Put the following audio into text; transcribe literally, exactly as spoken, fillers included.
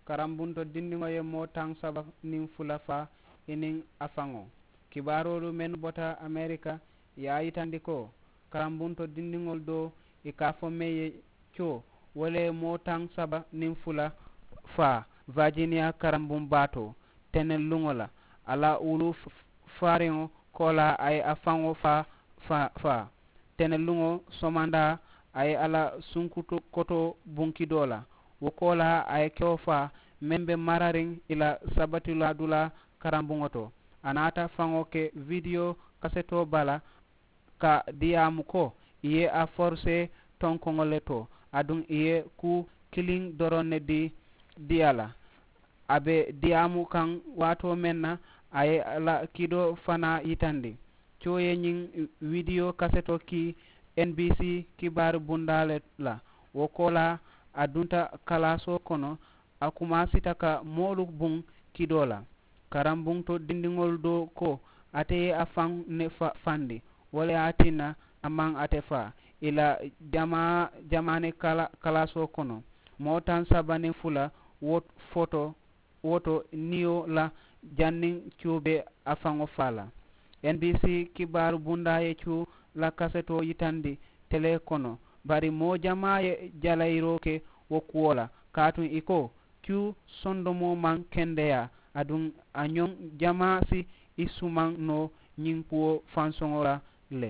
Karambunto dindiŋo ye moo taŋ saba niŋ fula faa i niŋ a faŋo. Kibaaroolu mennu bota amerika ye a yitandi ko karambunto dindiŋolu doo i ka a fo meŋ ye co wo le ye moo taŋ saba niŋ fula faa virginia karambuŋ baatoo teneŋ luŋo la a la wulu faariŋo koolaa a ye a faŋo faa faa teneŋ luŋo somandaa a ye a la sunkutu kotoo buŋ kidoo la. Wo koolaa a ye kewo faa meŋ be marariŋ i la sabatulaadulaa karambuŋo to. A naata faŋo ke vidiyo kasetoo bala ka diyaamu ko i ye a forisee tonkoŋo le to aduŋ i ye kuu kiliŋ doroŋ ne dii diya la. A be diyaamu kaŋ waatoo meŋ na a ye a la kidoo fanaa yitandi. Coo ye ñiŋ widiyo kasetoo kii n b c kibaari bundaa le la. Wo koolaa a dunta kalaasoo kono a kumaasita ka moolu buŋ kidoo la. Karambuŋ to dindiŋolu doo ko ate ye a faŋ ne fandi wo le ye a tinna a maŋ ate faa i la jamaa jamaani kalaasoo kono. Moo taŋ saba niŋ fula wo foto wo to niyo la janniŋ cuube a faŋo faa la. N b c kibaaru bundaa ye cuu la kasetoo yitandi telee kono bari moo jamaa ye jalayiroo ke wo kuwo la kaatuŋ i ko cuu sondomoo maŋ kendeyaa aduŋ a ñoŋ jamaa si i sumaŋ noo ñiŋ kuwo fansoŋo la le.